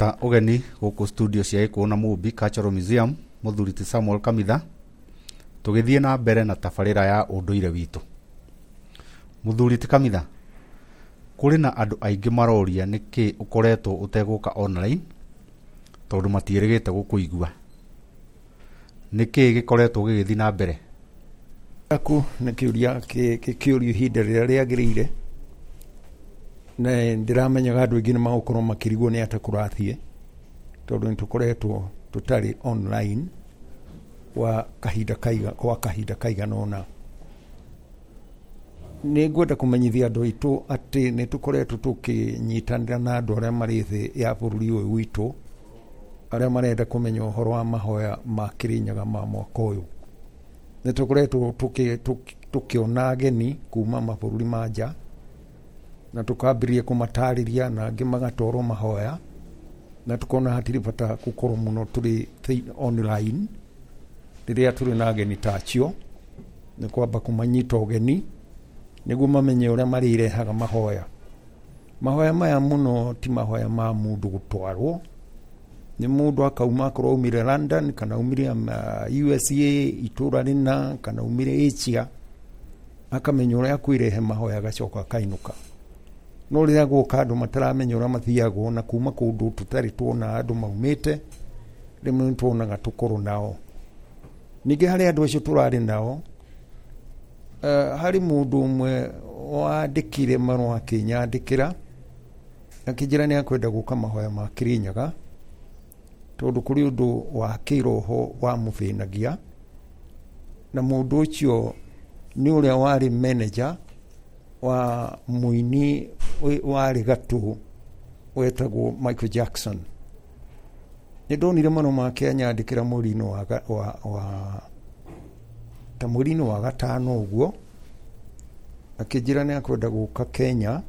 Tũramũnyita ũgeni gũkũ studio cia Gĩkũyũ na Mũmbi Cultural Museum, mũthuri ti Samuel Kamitha, tũgĩthiĩ na mbere na tabarĩra ya ũndũire witũ. Mũthuri ti Kamitha, kũrĩ na andũ aingĩ maroria nĩkĩ ũkoretwo ũtegũka online tondũ matiĩrĩgĩte gũkũigua. Nĩkĩ gĩkoretwo gĩgĩthiĩ na mbere? Aku nĩ kĩũria kĩũrio ihinda rĩrĩa rĩagĩrĩire, na ndĩramenyaga andũ aingĩ nĩ magũkorwo makĩrigwo nĩ atĩa kũrathiĩ, tondũ nĩ tũkoretwo tũtarĩ online kwa kahinda kaiga, kwa kahinda kaigana ũna. Nĩ ngwenda kũmenyithia andũ aitũ atĩ nĩ tũkoretwo tũkĩnyitanĩra na andũ arĩa marĩ thĩ ya bũrũri ũyũ witũ, arĩa marenda kũmenya ũhoro wa mahoya ma Kĩrĩnyaga ma mwaka ũyũ. Nĩ tũkoretwo tũkĩona ageni kuma mabũrũri ma nja, na tũkambĩrĩria kũmatarĩria na angĩ magatwarwo mahoya, na tũkona hatirĩ bata gũkorwo mũno tũrĩ online rĩrĩa tũrĩ na ageni ta acio, nĩ kwamba kũmanyita ũgeni nĩguo mamenye ũrĩa marĩrehaga mahoya. Mahoya maya mũno ti mahoya ma mũndũ gũtwarwo, nĩ mũndũ akauma akorwo aumire London kana aumire USA itũra rĩna kana aumire Asia, akamenya ũrĩa akwĩrehe mahoya agacoka akainũka. No rĩrĩa guoka andũ mataramenya ũrĩa mathiagwo na kuma kũndũ tũtarĩ tuona andũ maumĩte, rĩmwe nĩ tuonaga tũkorwo nao. Ningĩ harĩ andũ acio tũrarĩ nao, harĩ mũndũ ũmwe wandĩkire marũa akĩnyandĩkĩra akĩnjĩra nĩ akwenda gũka mahoya ma Kĩrĩnyaga, tondũ kũrĩ ũndũ wa kĩroho wamũthĩnagia, na mũndũ ũcio nĩ ũrĩa warĩ manager wa mũini warĩ gatũ wetagwo Michael Jackson. Nĩ ndonire marũa make anyandĩkĩra mweri-inĩ wa ta mweri-inĩ wa gatano ũguo, akĩnjĩra nĩ akwenda gũka Kenya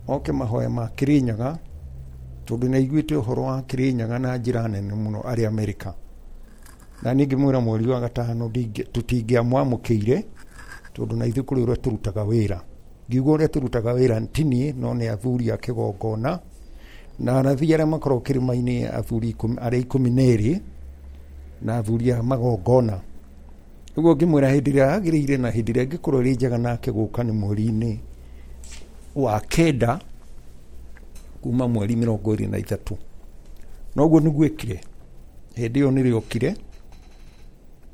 oke mahoya ma Kĩrĩnyaga, tondũ nĩ aiguĩte ũhoro wa Kĩrĩnyaga na njĩra nene mũno arĩ Amerika. Na niĩ ngĩmwĩra mweri wa gatano tũtingĩamwamũkĩire, tondũ na ithuĩ kũrĩ ũrĩa tũrutaga wĩra. Ngiuga ũrĩa tũrutaga wĩra ti niĩ, no nĩ athuri a kĩgongona na arathi arĩa makoragwo kĩrĩma-inĩ, athuri arĩa 12 na athuri a magongona. Ũguo ngĩmwĩra hĩndĩ ĩrĩa yagĩrĩire na hĩndĩ ĩrĩa ĩngĩkorwo ĩrĩ njega nake gũka nĩ mweri-inĩ wa kenda kuma mweri 23. Noguo nĩguo ĩkire. Hĩndĩ ĩyo nĩrĩo okire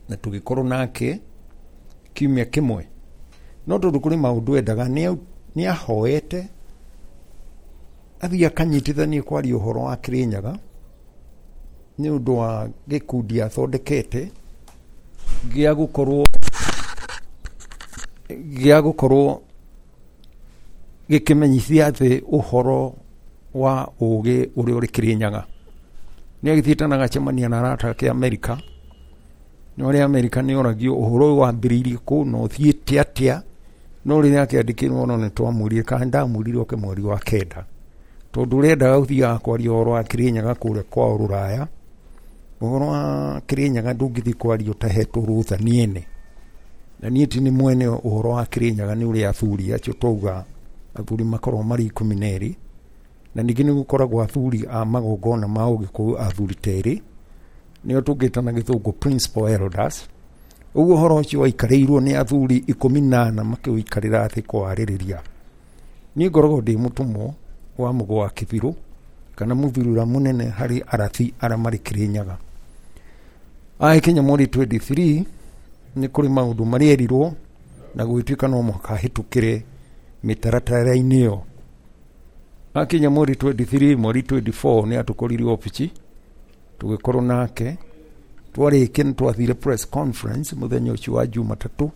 na tũgĩkorwo nake kiumia kĩmwe. No tondũ kũrĩ maũndũ endaga, nĩ ahoete athiĩ akanyitithanie kwaria ũhoro wa Kĩrĩnyaga nĩ ũndũ wa gĩkundi athondekete gĩa gũkorwo gĩkĩmenyithia thĩ ũhoro wa ũgĩ ũrĩa ũrĩ Kĩrĩnyaga. Nĩ agĩthiĩte na agacemania na arata ake Amerika, no arĩa Amerika nĩ oragio ũhoro ũyũ wambĩrĩirie kũ na ũthiĩte atĩa, no rĩrĩa akĩandĩkĩrwo no nĩ twamwĩrire kana ndamwĩrire oke mweri wa kenda, tondũ ũrendaga gũthiaga kwaria ũhoro wa Kĩrĩnyaga kũrĩa kwao Rũraya. Ũhoro wa Kĩrĩnyaga ndũngĩthiĩ kwaria ũtahetwo rũtha nĩ ene, na niĩ ti nĩ mwene ũhoro wa Kĩrĩnyaga nĩ ũrĩa athuri acio twauga athuri makoragwo marĩ 12, na ningĩ nĩ gũkoragwo athuri a magongona ma Ũgĩkũyũ athuri ta erĩ, nĩo tũngĩta na gĩthũngũ principal elders. Ũguo ũhoro ũcio waikarĩirwo nĩ athuri 14 makĩũikarĩra thĩ kwarĩrĩria. Niĩ ngoragwo ndĩ mũtũmwo wa Mũgo wa Kĩbirũ kana mũthuri ũrĩa mũnene harĩ arathi arĩa marĩ Kĩrĩnyaga. Agĩkinya mweri 23 nĩ kũrĩ maũndũ marĩa erirwo na gũgĩtuĩka no mũhaka ahĩtũkĩre mĩtaratara-inĩ ĩyo. Akinya mweri 23, mweri 24 nĩ atũkorire obici tũgĩkorwo nake. Twarĩkia nĩ twathire press conference mũthenya ũcio wa Jumatatũ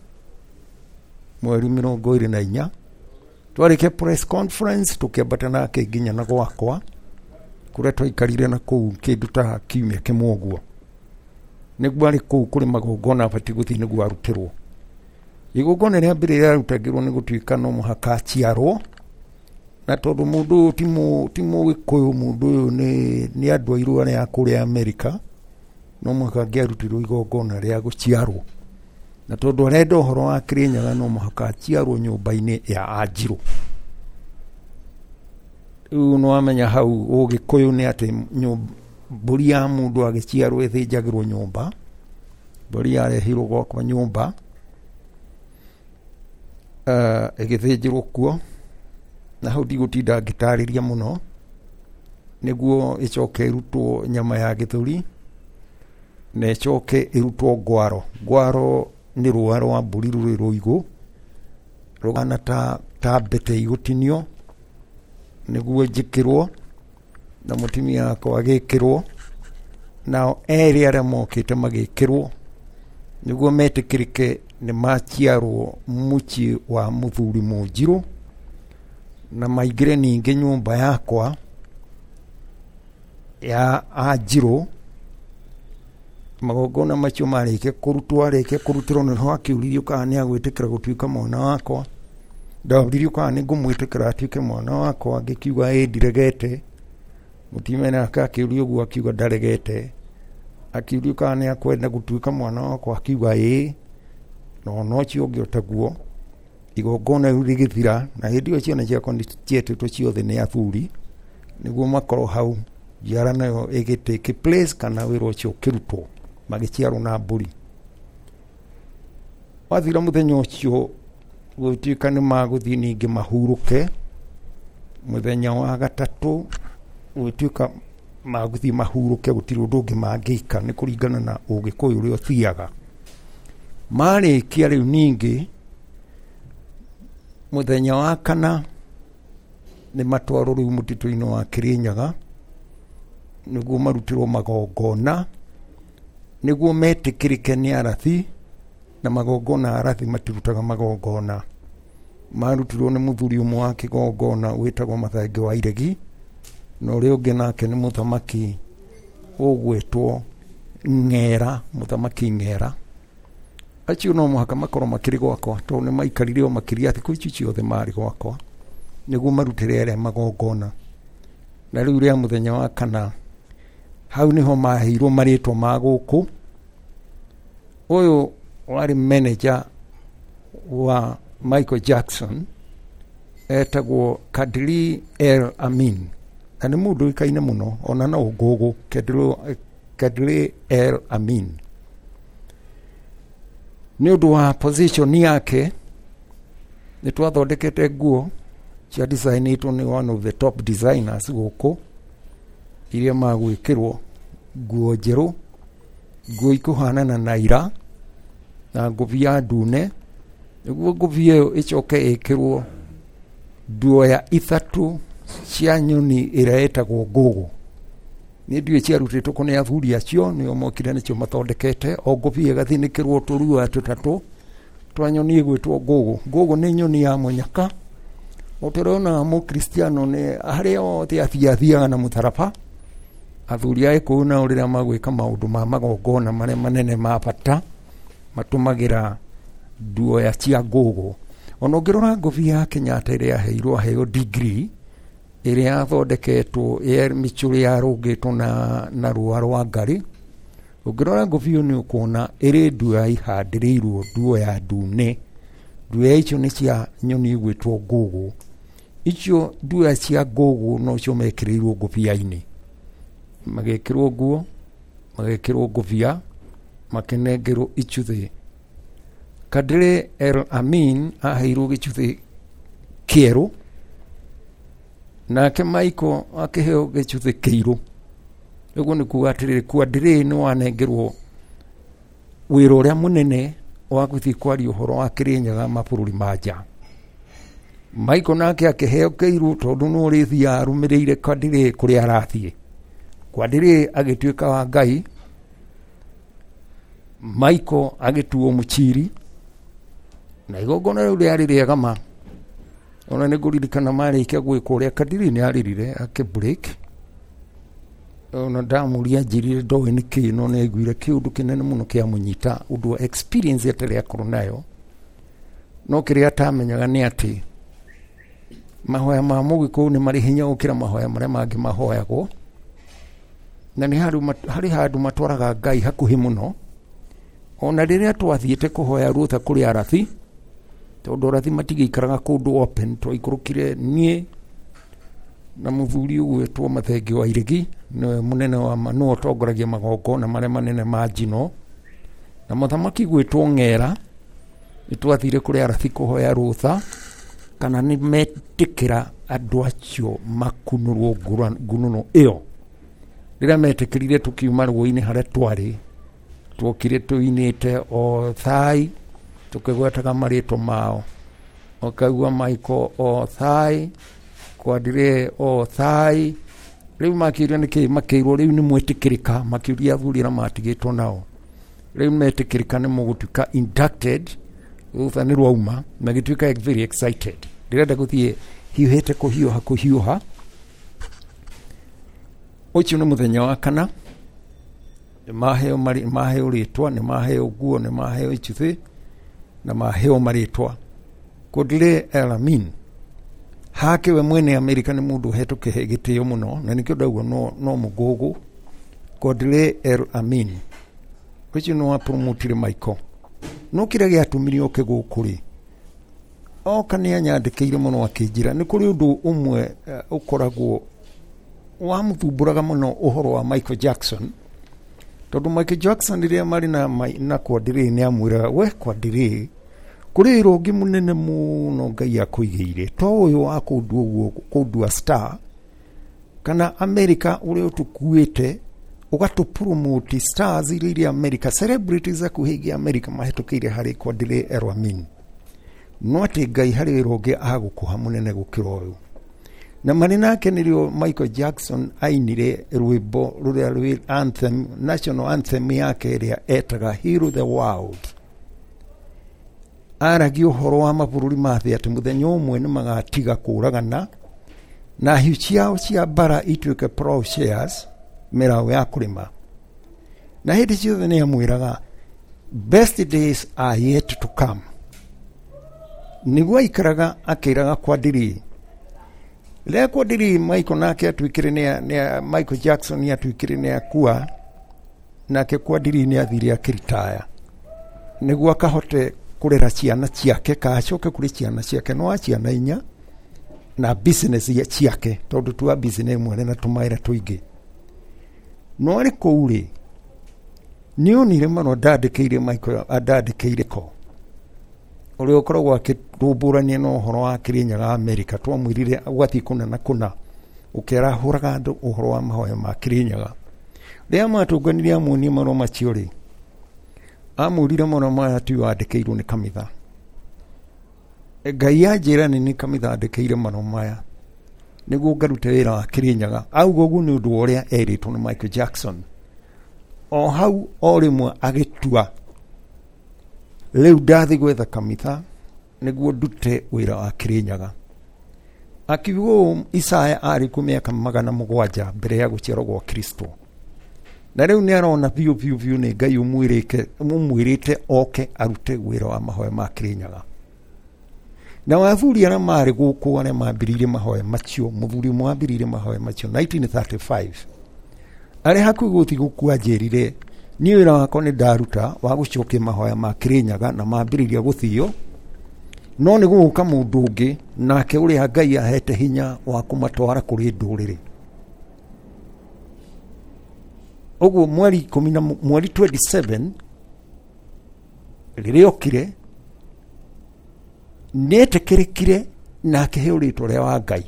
mweri 24. Twarĩkia press conference tũkĩambata nake nginya na gwakwa kũrĩa twaikarire na kũu kĩndũ ta kiumia kĩmwe ũguo. Nĩguo arĩ kũu kũrĩ magongona abatiĩ gũthiĩ nĩguo arutĩrwo. Igongona rĩa mbere rĩarutagĩrwo nĩ gũtuĩka no mũhaka aciarwo, na tondũ mũndũ ũyũ ti Mũgĩkũyũ, mũndũ ũyũ nĩ andũ airũ arĩa a kũrĩa Amerika, no mũhaka angĩarutirwo igongona rĩa gũciarwo. Na tondũ arenda ũhoro wa Kĩrĩnyaga no mũhaka aciarwo nyũmba-inĩ ya Anjirũ. Rĩu nĩwamenya hau ũgĩkũyũ nĩ atĩ mbũri ya mũndũ agĩciarwo ĩthĩnjagĩrwo nyũmba. Mbũri yarehirwo gwakwa nyũmba, ĩgĩthĩnjĩrwo kuo, na hau ndigũtinda ngĩtarĩria mũno, nĩguo ĩcoke ĩrutwo nyama ya gĩthũri, na ĩcoke ĩrutwo ngwaro. Ngwaro nĩ rũa rwa mbũri rũrĩ rũigũ, rũhana ta mbete igũtinio, nĩguo njĩkĩrwo, na mũtumia wakwa agĩkĩrwo, nao erĩ arĩa mokĩte magĩkĩrwo, nĩguo metĩkĩrĩke nĩ maciarwo mũciĩ wa mũthuri Mũnjirũ, na maingĩre ningĩ nyũmba yakwa ya Anjirũ. Magongona macio marĩkia kũrutwo, arĩkia kũrutĩrwo nĩho akĩũririo kana nĩ agwĩtĩkĩra gũtuĩka mwana wakwa. Ndoririo kana nĩ ngũmwĩtĩkĩra atuĩke mwana wakwa, ngĩkiuga ĩ ndiregete. Mũtumia nake akĩũrio ũguo akiuga ndaregete. Akĩũrio kana nĩ akwenda gũtuĩka mwana wakwa, akiuga ĩ, na ona ũcio ũngĩ o taguo. Igongona rĩu rĩgĩthira, na hĩndĩ ĩyo ciana ciakwa nĩ cietĩtwo ciothe nĩ athuri nĩguo makorwo hau, njiara nayo ĩgĩ take place kana wĩra ũcio ũkĩrutwo, magĩciarwo na mbũri. Wathira mũthenya ũcio gũgĩtuĩka nĩ magũthiĩ ningĩ mahurũke. Mũthenya wa gatatũ gũgĩtuĩka magũthiĩ mahurũke, gũtirĩ ũndũ ũngĩ mangĩka, nĩ kũringana na ũgĩkũyũ ũrĩa ũthiaga. Marĩkia rĩu ningĩ mũthenya wa kana nĩ matwarwo rĩu mũtitũ-inĩ wa Kĩrĩnyaga, nĩguo marutĩrwo magongona, nĩguo metĩkĩrĩke nĩ arathi, na magongona arathi matirutaga magongona. Marutirwo nĩ mũthuri ũmwe wa kĩgongona wĩtagwo Mathenge wa Iregi, na ũrĩa ũngĩ nake nĩ mũthamaki ũgwĩtwo Ng'era, mũthamaki Ng'era. Acio no mũhaka makorwo makĩrĩ gwakwa, tondũ nĩ maikarire o makĩria thikũ ici ciothe marĩ gwakwa, nĩguo marutĩre arĩa magongona. Na rĩu rĩa mũthenya wa kana, hau nĩho maheirwo marĩtwa ma gũkũ. Ũyũ warĩ manager wa Michael Jackson, etagwo Kadri El Amin, na nĩ mũndũ ũĩkaine mũno ona no ngũgũ. Kadri El Amin, nĩ ũndũ wa position yake, nĩ twathondekete nguo cia designĩtwo nĩ one of the top designers gũkũ, iria magwĩkĩrwo nguo njerũ, nguo ikũhanana na ira, na ngũbia ndune, nĩguo ngũbia ĩyo ĩcoke ĩkĩrwo nduoya ithatũ cia nyoni ĩrĩa ĩtagwo ngũgũ. Nĩ ndiũĩ ciarutĩtwo kũ nĩ athuri acio, nĩo mokire nĩcio mathondekete. O ngũbia ĩgathinĩkĩrwo tũrua tũtatũ twa nyoni ĩgwĩtwo ngũgũ. Ngũgũ nĩ nyoni ya mũnyaka, o ta ũrĩa wonaga mũkristiano nĩ harĩa othe athiathiaga na mũtharaba. Athuri a Gĩkũyũ nao rĩrĩa magwĩka maũndũ ma magongona marĩa manene ma bata, matũmagĩra nduoya cia ngũgũ. Ona ũngĩrora ngũbia ya Kenyatta ĩrĩa yaheirwo aheo degree, ĩrĩa yathondeketwo mĩcũrĩ yarũngĩtwo na rũa rwa ngarĩ, ũngĩrora ngũbia ĩyo nĩ ũkuona ĩrĩ nduoya ihandĩrĩirwo nduoya ndune. Nduoya icio nĩ cia nyoni ĩgwĩtwo ngũgũ. Icio nduoya cia ngũgũ nocio mekĩrĩirwo ngũbia-inĩ, magĩkĩrwo nguo, magĩkĩrwo ngũbia, makĩnengerwo icuthĩ. Kadri El Amin aheirwo gĩcuthĩ kĩerũ, nake Michael akĩheo gĩcuthĩ kĩirũ. Ũguo nĩ kuga atĩrĩrĩ, Kadri nĩ wanengerwo wĩra ũrĩa mũnene wa gũthiĩ kwaria ũhoro wa Kĩrĩnyaga mabũrũri ma nja. Michael nake akĩheo kĩirũ, tondũ nĩ ũrĩthiaga arũmĩrĩire Kadri kũrĩa arathiĩ. Kadri agĩtuĩka wa Ngai, Michael agĩtuo mũchiri, na igongona rĩu rĩarĩ rĩega ma. Ona nĩ ngũririkana marĩkia gwĩkwo ũrĩa Kadri nĩ arĩrire akĩ break. Ona ndamũria anjĩrire ndoĩ nĩ kĩĩ, no nĩ aiguire kĩũndũ kĩnene mũno kĩamũnyita, ũndũ wa experience atarĩ akorwo nayo. No kĩrĩa atamenyaga nĩ atĩ mahoya ma mũgĩkũyũ nĩ marĩ hinya gũkĩra mahoya marĩa mangĩ mahoyagwo, na nĩ harĩ handũ matwaraga Ngai hakuhĩ mũno. Ona rĩrĩa twathiĩte kũhoya rũtha kũrĩ arathi, tondũ arathi matigĩikaraga kũndũ open, twaikũrũkire niĩ Na mũthuri ũgwĩtwo Mathenge wa Iregi nĩwe mũnene wa nĩwe ũtongoragia magongona marĩa manene ma njino. Na mũthamaki gwĩtwo Ng'era, nĩ twathire kũrĩ Arathi kũhoya rũtha kana nĩ metĩkĩra andũ acio makunũrwo ngunũno ĩyo. Rĩrĩa metĩkĩrire tũkiuma rũĩ-inĩ harĩa twarĩ, tuokire tũinĩte o thai tũkĩgwetaga marĩtwa mao, ũkaigua Michael o thai, Kwadire o thai. Rĩu makĩũria nĩkĩ, makĩirwo rĩu nĩ mwĩtĩkĩrĩka, makĩũria athuri arĩa matigĩtwo nao, rĩu metĩkĩrĩka nĩ mũgũtuĩka inducted. Rũtha nĩ rwauma, magĩtuĩka very excited. Ndĩrenda gũthiĩ hiũhĩte kũhiũha kũhiũha. Ũcio nĩ mũthenya wa kana, maheo maheo rĩtwa, nĩ maheo nguo, nĩ maheo icuthĩ na maheo marĩtwa. Kwadire Elamin hake we mwene Amerika nĩ mũndũ ũhetwo gĩtĩo mũno, na nĩkĩo ndauga no mũgũgũ. Kwadire El Amin ũcio nĩ wa promotire Michael. No kĩrĩa gĩatũmire oke gũkũ rĩ, oka nĩ anyandĩkĩire mũno akĩnjĩra nĩ kũrĩ ũndũ ũmwe ũkoragwo wamũthumbũraga mũno ũhoro wa Michael Jackson. Tondũ Michael Jackson rĩrĩa marĩ na Kwadire nĩ amwĩraga, we Kwadire, kũrĩ wĩra ũngĩ mũnene mũno Ngai akũigĩire, to ũyũ wa kũndua ũguo, kũndua star kana America ũrĩa ũtũkuĩte ũgatũpromote stars iria irĩ America, celebrities akuhĩ ingĩ America mahĩtũkĩire harĩ Kwadire El Amin. No atĩ Ngai harĩ wĩra ũngĩ agũkũha mũnene gũkĩra ũyũ. Na marĩ nake nĩrĩo Michael Jackson ainire rwĩmbo rũrĩa rwĩ anthem, national anthem yake ĩrĩa etaga Heal the World. Aragia ũhoro wa mabũrũri ma thĩ atĩ mũthenya ũmwe nĩ magatiga kũragana na hiũ ciao cia mbara ituĩke plowshares, mĩraũ ya kũrĩma. Na hĩndĩ ciothe nĩ amwĩraga best days are yet to come. Nĩguo aikaraga akĩraga Kwadire. Rĩrĩa Kwadire Michael nake atuĩkire nĩ Michael Jackson nĩ atuĩkire nĩ akua, nake Kwadire nĩ athire akĩritaya nĩguo akahote kũrera ciana ciake, ka acoke kũrĩ ciana ciake, no wa ciana inya na business ciake, tondũ tu business ĩmwe na tũmawĩra tũingĩ. No arĩ kũu rĩ, nĩ onire marũa ndandĩkĩire Michael, andandĩkĩire ko ũrĩa ũkoragwo akĩrũmbũrania na ũhoro wa Kĩrĩnyaga Amerika. Twamwĩrire ũgathiĩ kũna na kũna ũkĩarahũraga andũ ũhoro wa mahoya ma Kĩrĩnyaga. Rĩrĩa matũnganire amuonie marũa macio rĩ, amwĩrire marũa maya ti wandĩkĩirwo nĩ kanitha. Ngai anjĩra nĩ kanitha andĩkĩire marũa maya nĩguo ngarute wĩra wa Kĩrĩnyaga. Auga ũguo nĩ ũndũ wa ũrĩa erĩtwo nĩ Michael Jackson. O hau o rĩmwe agĩtua rĩu ndathiĩ gwetha kanitha nĩguo ndute wĩra wa Kĩrĩnyaga. Akiuga ũũ Isaya arĩ kuo mĩaka 700 mbere ya gũciarwo gwa Kristo. Na rĩu nĩ arona biũ biũ biũ nĩ Ngai ũmwĩrĩte oke arute wĩra wa mahoya ma Kĩrĩnyaga. Na athuri arĩa marĩ gũkũ arĩa mambĩrĩirie mahoya macio, mũthuri ũmwe wambĩrĩirie mahoya macio 1935, arĩ hakuhĩ gũthiĩ gũkua anjĩrire, niĩ wĩra wakwa nĩ ndaruta wa gũcokia mahoya ma Kĩrĩnyaga na mambĩrĩria gũthio, no nĩ gũgũka mũndũ ũngĩ nake ũrĩa Ngai ahete hinya wa kũmatwara kũrĩ ndũrĩrĩ. Ũguo mweri ikũmi na mweri 27 rĩrĩa okire nĩetĩkĩrĩkire na akĩheo rĩtwa rĩa wa Ngai.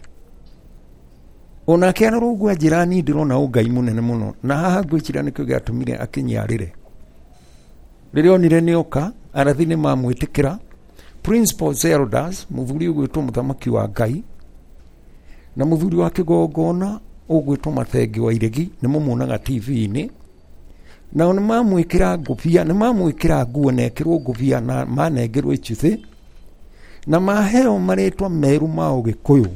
Onake arora ũguo anjĩra niĩ ndĩrona ũngai mũnene mũno, na haha ngwĩciria nĩkĩo gĩatũmire akinyiarĩre. Rĩrĩa onire nĩoka, arathi nĩ mamwĩtĩkĩra. Principals elders, mũthuri ũgwĩtwo mũthamaki wa Ngai na mũthuri wa kĩgongona ũgwĩtwo Mathenge wa Iregi, nĩ mũmuonaga TV-inĩ. Nao nĩ mamwĩkĩra ngũbia, nĩ mamwĩkĩra nguo na ekĩrwo ngũbia na manengerwo icuthĩ na maheo marĩtwa merũ ma Ũgĩkũyũ.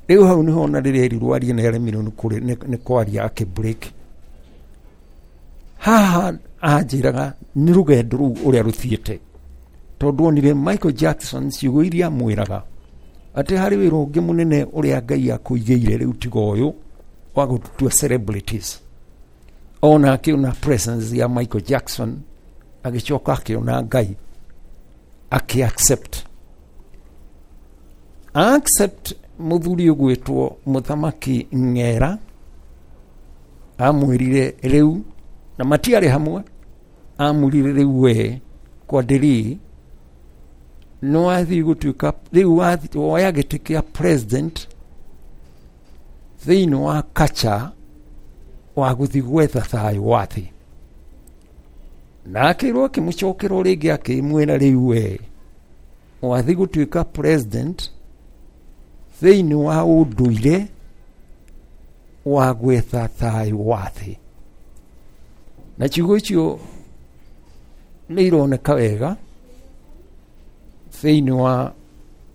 Rĩu hau nĩho ona rĩrĩa erirwo arie nĩ aremirwo nĩ kwaria akĩ break. Haha anjĩraga nĩ rũgendo rũu ũrĩa rũthiĩte, tondũ onire Michael Jackson ciugo iria amwĩraga atĩ harĩ wĩra ũngĩ mũnene ũrĩa Ngai akũigĩire rĩu tiga ũyũ wa gũtua celebrities. Ona akĩona presence ya Michael Jackson agĩcoka akĩona Ngai akĩ accept accept. Mũthuri ũgwĩtwo Mũthamaki Ng'era amwĩrire rĩu, na matiarĩ hamwe, amwĩrire rĩu we Kwadiri nĩ wathiĩ gũtuĩka rĩu woya gĩtĩ kĩa president thĩinĩ wa kacha wa gũthiĩ gwetha thayũ wa thĩ. Na akĩrwo akĩmũcokerwo rĩngĩ akĩmwĩra rĩu we wathiĩ gũtuĩka president thĩinĩ wa ũndũire wa gwetha thayũ wa thĩ. Na ciugo icio nĩ ironeka wega thĩinĩ wa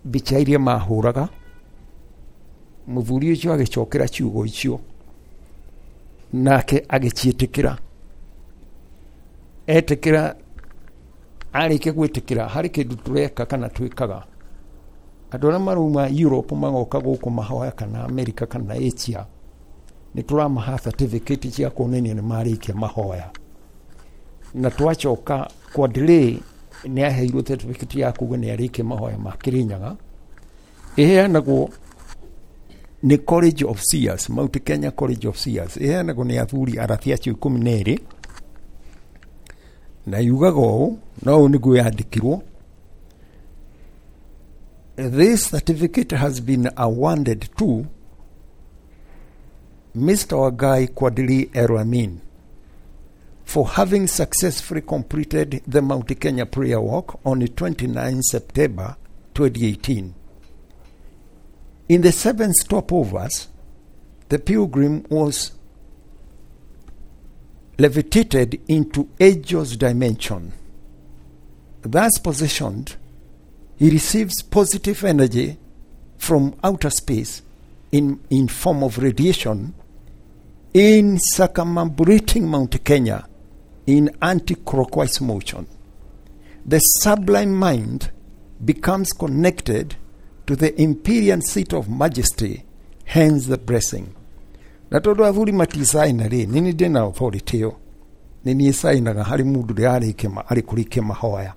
mbica iria mahũraga. Mũthuri ũcio agĩcokera ciugo icio nake agĩciĩtĩkĩra. Etĩkĩra, arĩkia gwĩtĩkĩra, harĩ kĩndũ tũreka kana twĩkaga. Andũ arĩa marauma Europe magoka gũkũ mahoya kana America kana Asia, nĩ tũramaha certificate cia kuonania nĩ marĩkia mahoya. Na twacoka Kwadri nĩ aheirwo certificate ya kuga nĩ arĩkia mahoya ma Kĩrĩnyaga. Ĩheanagwo nĩ College of Seers, Mount Kenya College of Seers. Ĩheanagwo nĩ athuri arathi acio 12, na yugaga ũũ, na ũũ nĩguo yandĩkirwo: This certificate has been awarded to Mr. Wangai Kwadri Elamin for having successfully completed the Mount Kenya prayer walk on the 29 September 2018. In the 7 stopovers, the pilgrim was levitated into angel's dimension. Thus positioned, he receives positive energy from outer space in form of radiation in circumambulating Mount Kenya in anti-clockwise motion. The sublime mind becomes connected to the imperial seat of majesty, hence the blessing. Na tondũ athuri maticaina rĩ, nĩ niĩ ndĩna authority ĩyo, nĩ niĩ cainaga harĩ mũndũ ũrĩa arĩ kũrĩkia mahoya,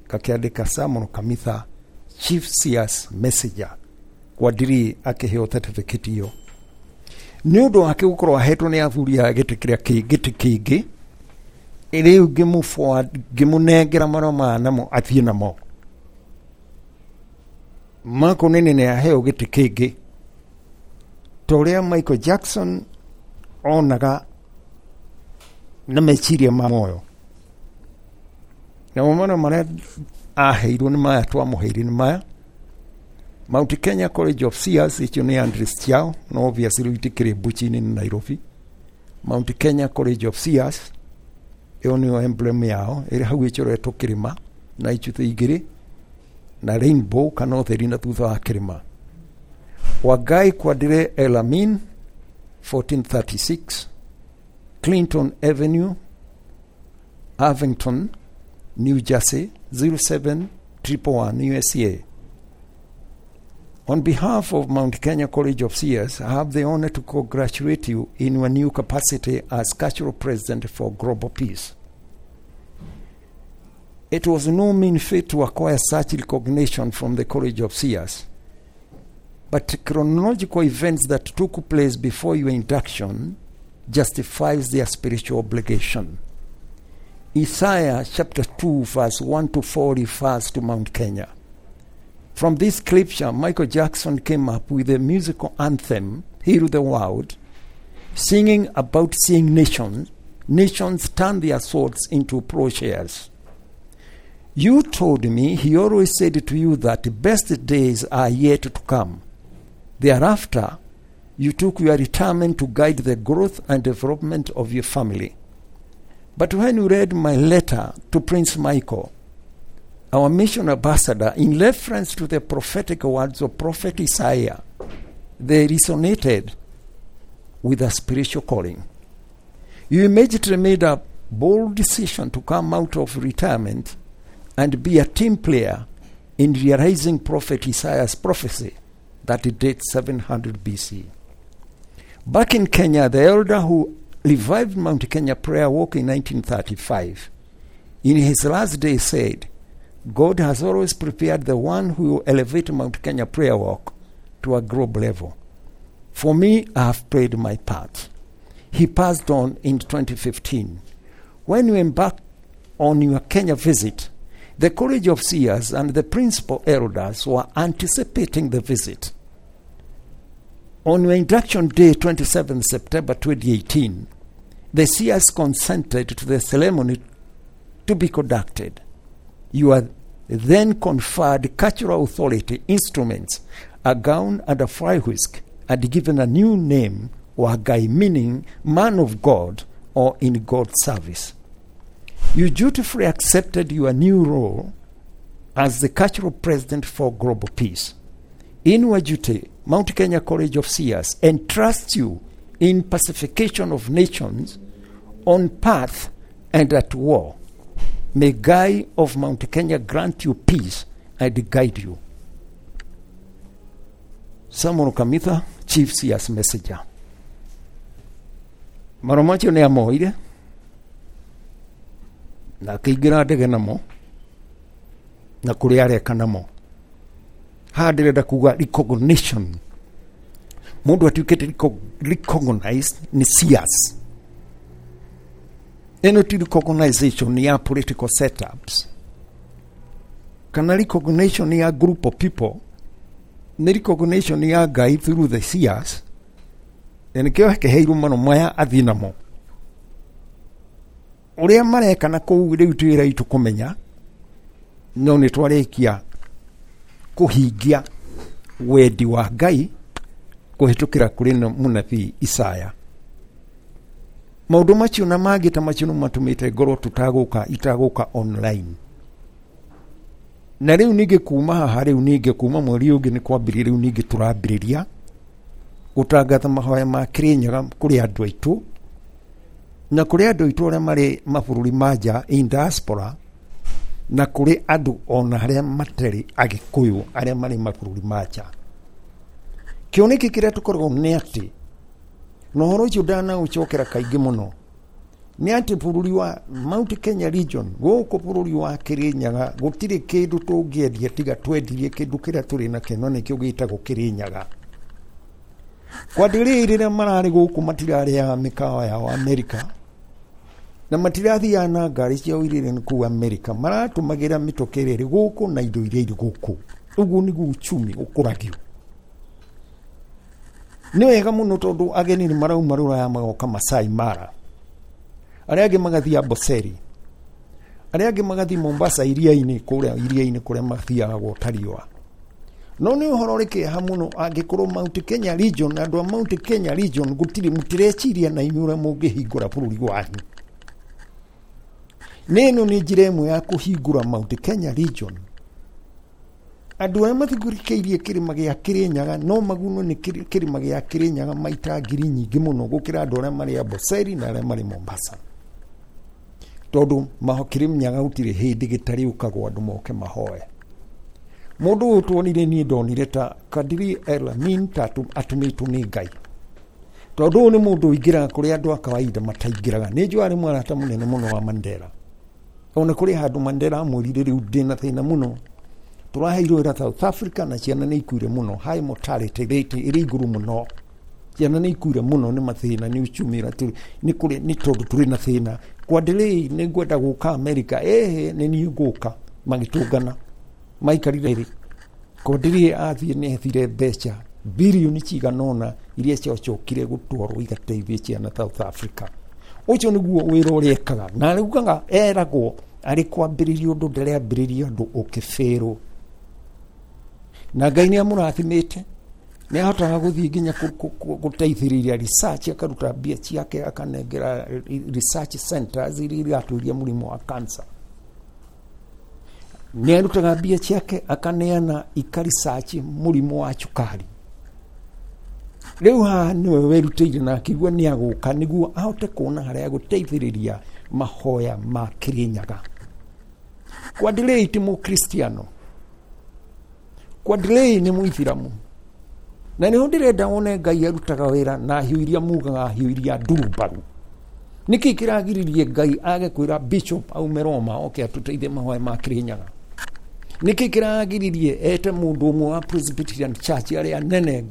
ngakĩandĩka Samuel Kamitha, Chief Seers Messenger. Kwadri akĩheo certificate ĩyo nĩ ũndũ wake gũkorwo ahetwo nĩ athuri a gĩtĩ kĩrĩa gĩtĩ kĩngĩ. Rĩu ngĩmũnengera marũa maya namo athiĩ namo makonene nĩ aheo gĩtĩ kĩngĩ, ta ũrĩa Michael Jackson onaga na meciria ma moyo. Namo marũa marĩa aheirwo nĩ maya twamũheire nĩ maya: Mount Kenya College of Seers, icio nĩ address ciao, no obviously rĩu itikĩrĩ Mbuchi-inĩ nĩ Nairobi. Mount Kenya College of Seers, ĩyo nĩyo emblem yao ĩrĩ hau ĩcoretwo kĩrĩma na icuthĩ igĩrĩ na rainbow kana ũtheri na thutha wa kĩrĩma. Wangai Kwadri Elamin, 1436 Clinton Avenue, Irvington, New Jersey 07111 USA. On behalf of Mount Kenya College of Seers, I have the honor to congratulate you in your new capacity as cultural president for global peace. It was no mean feat to acquire such recognition from the College of Seers, but chronological events that took place before your induction justifies their spiritual obligation. Isaiah chapter 2 verse 1 to 4 refers to Mount Kenya. From this scripture, Michael Jackson came up with a musical anthem, Heal the World, singing about seeing nations turn their swords into plowshares. You told me he always said to you that the best days are yet to come. Thereafter, you took your retirement to guide the growth and development of your family. But when you read my letter to Prince Michael, our mission ambassador, in reference to the prophetic words of Prophet Isaiah, they resonated with a spiritual calling. You immediately made a bold decision to come out of retirement and be a team player in realizing Prophet Isaiah's prophecy that dates 700 BC. Back in Kenya, the elder who revived Mount Kenya Prayer Walk in 1935, in his last day said, God has always prepared the one who will elevate Mount Kenya Prayer Walk to a global level. For me, I have played my part. He passed on in 2015. When you embarked on your Kenya visit, the College of Seers and the principal elders were anticipating the visit. On your induction day, 27 September 2018, the seers consented to the ceremony to be conducted. You are then conferred cultural authority instruments, a gown and a fly whisk, and given a new name, Wagai, meaning man of God or in God's service. You dutifully accepted your new role as the cultural president for global peace. In your duty, Mount Kenya College of Seers entrusts you in pacification of nations on path and at war. May Guy of Mount Kenya grant you peace and guide you. Samuel Kamitha, Chief Seers Messenger. Marũa macio nĩ amoire na akĩingĩra ndege namo na kũrĩa areka namo. Haha ndĩrenda kuga recognition, mũndũ atuĩkĩte recognized nĩ seers. Ĩno ti recognition ya political setups kana recognition ya group of people, nĩ recognition ya Ngai through the seers. Na nĩkĩo akĩheirwo marũa maya athiĩ namo. Ũrĩa mareka na kũu rĩu ti wĩra witũ kũmenya, no nĩ twarĩkia kũhingia wendi wa Ngai kũhĩtũkĩra kũrĩ mũnabii Isaya. Maũndũ macio na mangĩ ta macio nĩ matũmĩte ngorwo tũtagũka itagũka online. Na rĩu ningĩ kuma haha, rĩu ningĩ kuma mweri ũngĩ nĩ kwambĩrĩria, rĩu ningĩ tũrambĩrĩria gũtangatha mahoya ma Kĩrĩnyaga kũrĩ andũ aitũ na kũrĩ andũ aitũ arĩa marĩ mabũrũri ma nja in diaspora, na kũrĩ andũ ona arĩa matarĩ Agĩkũyũ arĩa marĩ mabũrũri ma nja. Kĩoneki kĩrĩa tũkoragwo nĩ atĩ, na ũhoro ũcio ndanaũcokera kaingĩ mũno, nĩ atĩ bũrũri wa Mount Kenya region gũkũ bũrũri wa Kĩrĩnyaga gũtirĩ kĩndũ tũngĩendia tiga twendirie kĩndũ kĩrĩa tũrĩ nakĩo, na nĩkĩo gĩtagwo Kĩrĩnyaga. Kwa ndĩrĩi rĩrĩa mararĩ gũkũ matirarĩaga mĩkawa yao Amerika, na matirathiaga na ngari ciao iria irĩ kũu Amerika, maratũmagĩra mĩtoka ĩrĩa ĩrĩ gũkũ na indo iria irĩ gũkũ. Ũguo nĩguo uchumi ũkũragio. Nĩ wega mũno tondũ ageni nĩ marauma rũraya magoka Masai Mara, arĩa angĩ magathiĩ Amboseli, arĩa angĩ magathiĩ Mombasa iria-inĩ, kũrĩa iria-inĩ kũrĩa mathiaga gwota riũa. No nĩ ũhoro ũrĩ kĩeha mũno angĩkorwo Mount Kenya region, andũ a Mount Kenya region gũtirĩ, mũtireciria na inyuĩ ũrĩa mũngĩhingũra bũrũri wanyu. Nĩ ĩno nĩ njĩra ĩmwe ya kũhingũra Mount Kenya region. Andũ arĩa mathikĩrĩirie kĩrĩma gĩa Kĩrĩnyaga no magunwo nĩ kĩrĩma gĩa Kĩrĩnyaga maita ngiri nyingĩ mũno gũkĩra andũ arĩa marĩ Amboseli na arĩa marĩ Mombasa, tondũ Kĩrĩnyaga gũtirĩ hĩndĩ gĩtarĩũkagwo andũ moke mahoe. Mũndũ ũyũ tuonire, niĩ ndonire ta Kadiri El Amin ta atũmĩtwo nĩ Ngai, tondũ ũyũ nĩ mũndũ ũingĩraga kũrĩa andũ a kawaida mataingĩraga. Nĩ njũĩ arĩ mũrata mũnene mũno wa Mandela. Ona kũrĩ handũ Mandela amwĩrire, rĩu ndĩna thĩna mũno, tũraheirwo wĩra South Africa na ciana nĩ ikuire mũno, high mortality rate ĩrĩ igũrũ mũno, ciana nĩ ikuire mũno nĩ mathĩna, nĩ uchumi nĩ kũrĩ, nĩ tondũ tũrĩ na thĩna. Kwa delay nĩ ngwenda gũka America, ĩhĩ nĩ niĩ ngũka. Magĩtũngana maikarire rĩ, Kwandelei athiĩ nĩ ethire mbeca birioni cigana ũna iria ciacokire gũtwarwo igateithie ciana South Africa. Ũcio nĩguo wĩra ũrĩa ekaga, na araugaga eragwo arĩ kwambĩrĩria ũndũ ndarĩambĩrĩria ũndũ ũkĩbĩrwo. Na Ngai nĩ amũrathimĩte, nĩ ahotaga gũthiĩ nginya gũteithĩrĩria research, akaruta mbia ciake akanengera research centers iria iratũria mũrimũ wa cancer. Nĩ arutaga mbia ciake akaneana ika research mũrimũ wa cukari. Rĩu haha nĩwe werutĩire na akĩigua nĩ agũka nĩguo ahote kuona harĩa agũteithĩrĩria mahoya ma Kĩrĩnyaga. Kwandelei ti mũkristiano, Kwandelei nĩ mũithiramu, na nĩho ndĩrenda wone Ngai arutaga wĩra na hiũ iria mugaga hiũ iria ndurumbaru. Nĩkĩ kĩragiririe Ngai age kwĩra bishop aume Roma oke atũteithie mahoya ma Kĩrĩnyaga? Nĩkĩ kĩragiririe ete mũndũ ũmwe wa Presbyterian Church arĩa nene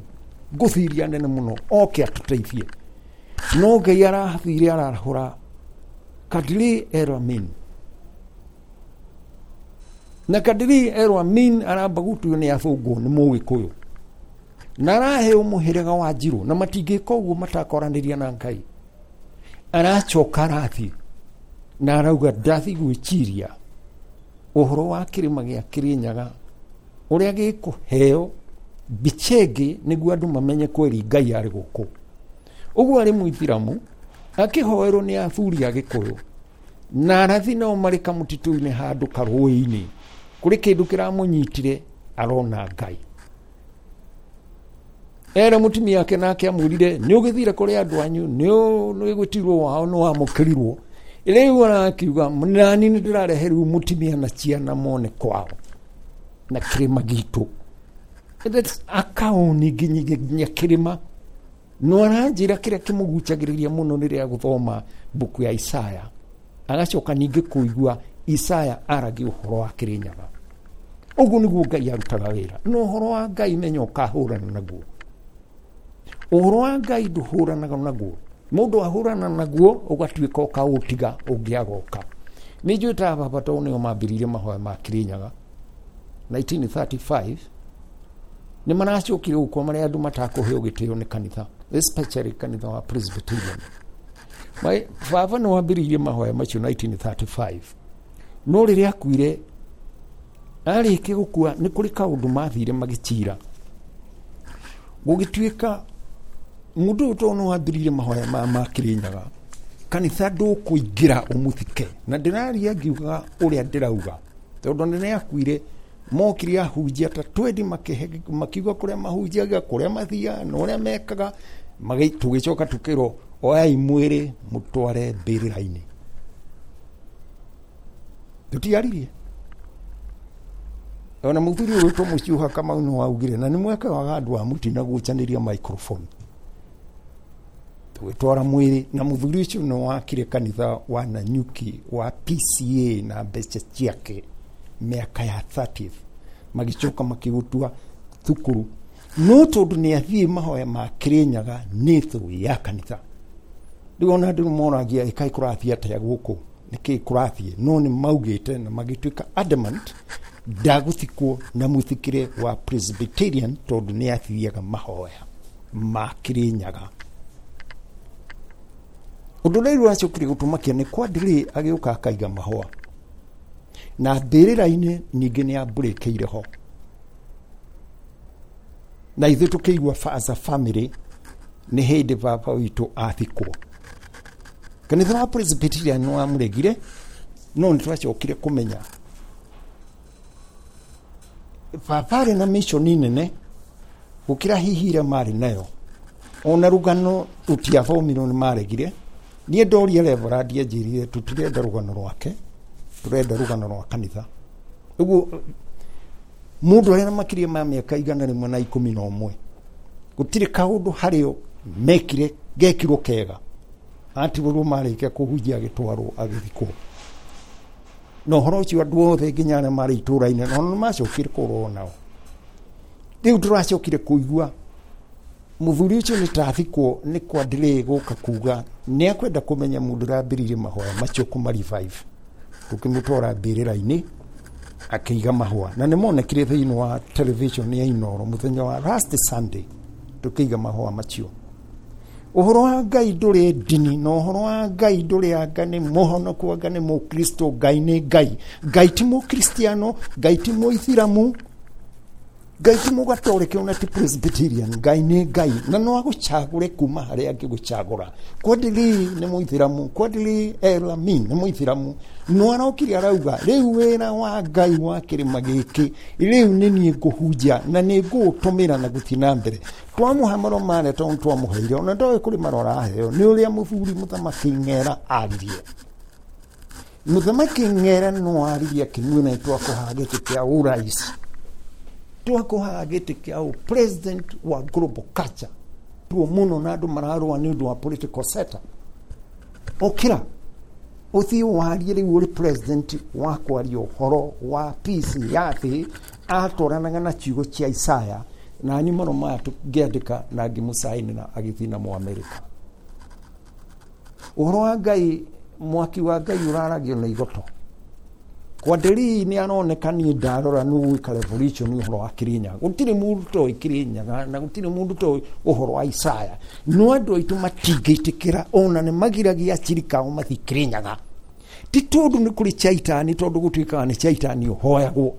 ngũthiria nene mũno oke atũteithie? No Ngai arathire arahũra Kadiri Eramin, na Kadiri Eramin aramba gũtuo nĩ athũngũ nĩ mũgĩkũyũ na araheo mũhĩrĩga wa Njirũ, na matingĩka ũguo matakoranĩria na Ngai. Aracoka arathiĩ na arauga ndathiĩ gwĩciria ũhoro wa kĩrĩma gĩa Kĩrĩnyaga ũrĩa gĩkũheo mbica ĩngĩ nĩguo andũ mamenye kweri Ngai arĩ gũkũ. Ũguo arĩ mũithiramu akĩhoerwo nĩ athuri a Gĩkũyũ, na arathi nao marĩ kamũtitũ-inĩ handũ karũĩ-inĩ, kũrĩ kĩndũ kĩramũnyitire arona Ngai. Era mũtumia wake nake amwĩrire nĩ ũgĩthire kũrĩ andũ anyu, nĩ gwĩtirwo wao, nĩ wamũkĩrirwo. Rĩu arakiuga nani nĩ ndĩrarehe rĩu mũtumia na ciana mone kwao na kĩrĩma gitũ. Akaoni nginya kĩrĩma. No aranjĩra kĩrĩa kĩmũgucagĩrĩria mũno nĩ rĩrĩa gũthoma mbuku ya Isaya, agacoka ningĩ kũigua Isaya aragia ũhoro wa Kĩrĩnyaga. Ũguo nĩguo Ngai arutaga wĩra. No ũhoro wa Ngai menya ũkahũrana naguo. Ũhoro wa Ngai ndũhũranaga naguo. Mũndũ ahũrana naguo ũgatuĩka ũkaũtiga ũngĩagoka. Nĩ njũĩ ta baba tondũ nĩo mambĩrĩirie mahoya ma Kĩrĩnyaga 1935, nĩ maracokire gũkua marĩa andũ matakũheo gĩtĩo nĩ kanitha, especially kanitha wa Presbyterian. Baba nĩ wambĩrĩirie mahoya macio 1935, no rĩrĩa akuire, arĩkia gũkua nĩ kũrĩ kaũndũ mathire magĩcira, gũgĩtuĩka mũndũ ũyũ tondũ nĩ wambĩrĩirie mahoya maya ma Kĩrĩnyaga, kanitha ndũkũingĩra ũmũthike. Na ndĩraria ngiugaga ũrĩa ndĩrauga, tondũ nĩ akuire mokire ahunjia ta twendi makiuga kũrĩa mahunjagia, kũrĩa mathiaga na ũrĩa mekaga, tũgĩcoka tũkĩrwo oyai mwĩrĩ mũtware mbĩrĩra-inĩ. Tũtiaririe. Ona mũthuri ũyũ wĩtwo Mũciũha Kamau nĩ waugire, na nĩ mweke wa andũ a mũtina gũcanĩria microphone. Tũgĩtwara mwĩrĩ, na mũthuri ũcio nĩ wakire kanitha wa Nanyuki wa PCA na mbeca ciake mĩaka ya 30th, magĩcoka makĩgũtua thukuru. No tondũ nĩ athiĩ mahoya ma Kĩrĩnyaga nĩ thũ ya kanitha. Rĩu ona andũ moragia ĩkaĩ kũrathiĩ atĩa gũkũ, nĩkĩ kũrathiĩ, no nĩ maugĩte na magĩtuĩka adamant ndagũthikwo na mũthikĩre wa Presbyterian tondũ nĩ athiaga mahoya ma Kĩrĩnyaga. Ũndũ ũrĩa rĩu wacokire gũtũmakia nĩ Kwadri agĩũka akaiga mahũa na mbĩrĩra-inĩ, ningĩ nĩ ambũrĩkĩire ho, na ithuĩ tũkĩigua as a family nĩ hĩndĩ baba witũ athikwo. Kanitha wa Presbyterian nĩ wamũregire, no nĩ twacokire kũmenya baba arĩ na mission nene gũkĩra hihi ĩrĩa marĩ nayo. Ona rũgano rũtiathomirwo nĩ maregire. Niĩ ndoria Reverend anjĩrire tũtirenda rũgano rwake, tũrenda rũgano rwa kanitha. Ũguo mũndũ arĩa na makĩria ma mĩaka 111 gũtirĩ kaũndũ harĩo mekire gekirwo kega, atigũrwo marĩkia kũhunjia agĩtwarwo agĩthikwo. Na ũhoro ũcio andũ othe nginya arĩa marĩ itũũra-inĩ na nĩ macokire kũrwo nao. Rĩu tũracokire kũigua mũthuri ũcio nĩ tathikwo nĩ Kwadri gũka kuga nĩ akwenda kũmenya mũndũ ũrambĩrĩirie mahoya macio kũma revive. Tũkĩmũtwara mbĩrĩra-inĩ akĩiga mahũa, na nĩ monekire thĩinĩ wa television ya Inooro mũthenya wa last Sunday tũkĩiga mahũa macio. Ũhoro wa Ngai ndũrĩ ndini, na ũhoro wa Ngai ndũrĩ anga nĩ mũhonoku anga nĩ mũkristo. Ngai nĩ Ngai. Ngai ti mũkristiano, Ngai ti mũithiramu, Ngai ti mũgatoreke ona ti Presbyterian. Ngai nĩ Ngai, na no agũcagũre kuma harĩa angĩgũcagũra. Kwadri nĩ mũithiramu, Kwadri Elamin nĩ mũithiramu, no arokire arauga rĩu wĩra wa Ngai wa kĩrĩma gĩkĩ rĩu nĩ niĩ ngũhunjia na nĩ ngũũtũmĩra na gũthiĩ na mbere. Twamũhe marũa marĩa tondũ twamũheire, ona ndoĩ kũrĩ marũa araheo nĩ ũrĩa mũthuri mũthamaki Ng'era aririe. Mũthamaki Ng'era no aririe akĩmwĩra nĩ twakũhaga gĩtĩ kĩa ũrais, twakũhaga gĩtĩ kĩa ũ president wa global culture tuo mũno, na andũ mararũa nĩ ũndũ wa political setup. Ũkĩra Ũthiĩ warie rĩu ũrĩ president wa kwaria ũhoro wa peace ya thĩ, atwaranaga na ciugo cia Isaya na ni maro maya tũngĩandĩka na ngĩmũcainĩra agĩthiĩ namo Amerika. Ũhoro wa Ngai, mwaki wa Ngai ũraragio na igoto. Kwanderii nĩ aroneka niĩ ndarora nĩ gwĩka revolution ũhoro wa Kĩrĩnyaga. Gũtirĩ mũndũ toĩ Kĩrĩnyaga na gũtirĩ mũndũ toĩ ũhoro wa Isaya. No andũ aitũ matingĩtĩkĩra ona nĩ magiragia achirika ao mathiĩ Kĩrĩnyaga. Ti tondũ nĩ kũrĩ chaitani, tondũ gũtuĩkaga nĩ chaitani ũhoyagwo.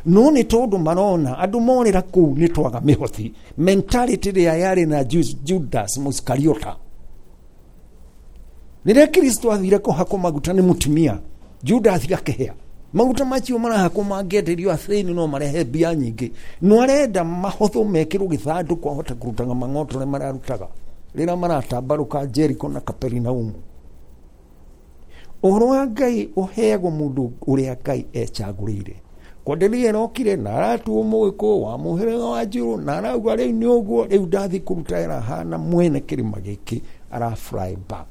No nĩ tondũ marona andũ morĩra kũu nĩ twaga mĩhothi. Mentality ĩrĩa yarĩ na Judas Mũisikariota. Rĩrĩa Kristo athire kũhakwo maguta nĩ mũtumia, Judas akĩhĩa. Maguta macio marahakwo mangĩenderio athĩni no marehe mbia nyingĩ. No arenda mahotho mekĩrwo gĩthandũkũ ahote kũrutaga mang'oto ũrĩa mararutaga rĩrĩa maratambarũka Jericho na Kaperinaumu. Ũhoro wa Ngai ũheagwo mũndũ ũrĩa Ngai ecagũrĩire. Kwanderia ĩrokire na aratuo mũgĩkũyũ wa mũhĩrĩga wa Njirũ na arauga rĩu nĩ ũguo, rĩu ndathiĩ kũruta wĩra hana mwene kĩrĩma gĩkĩ, ara fly back.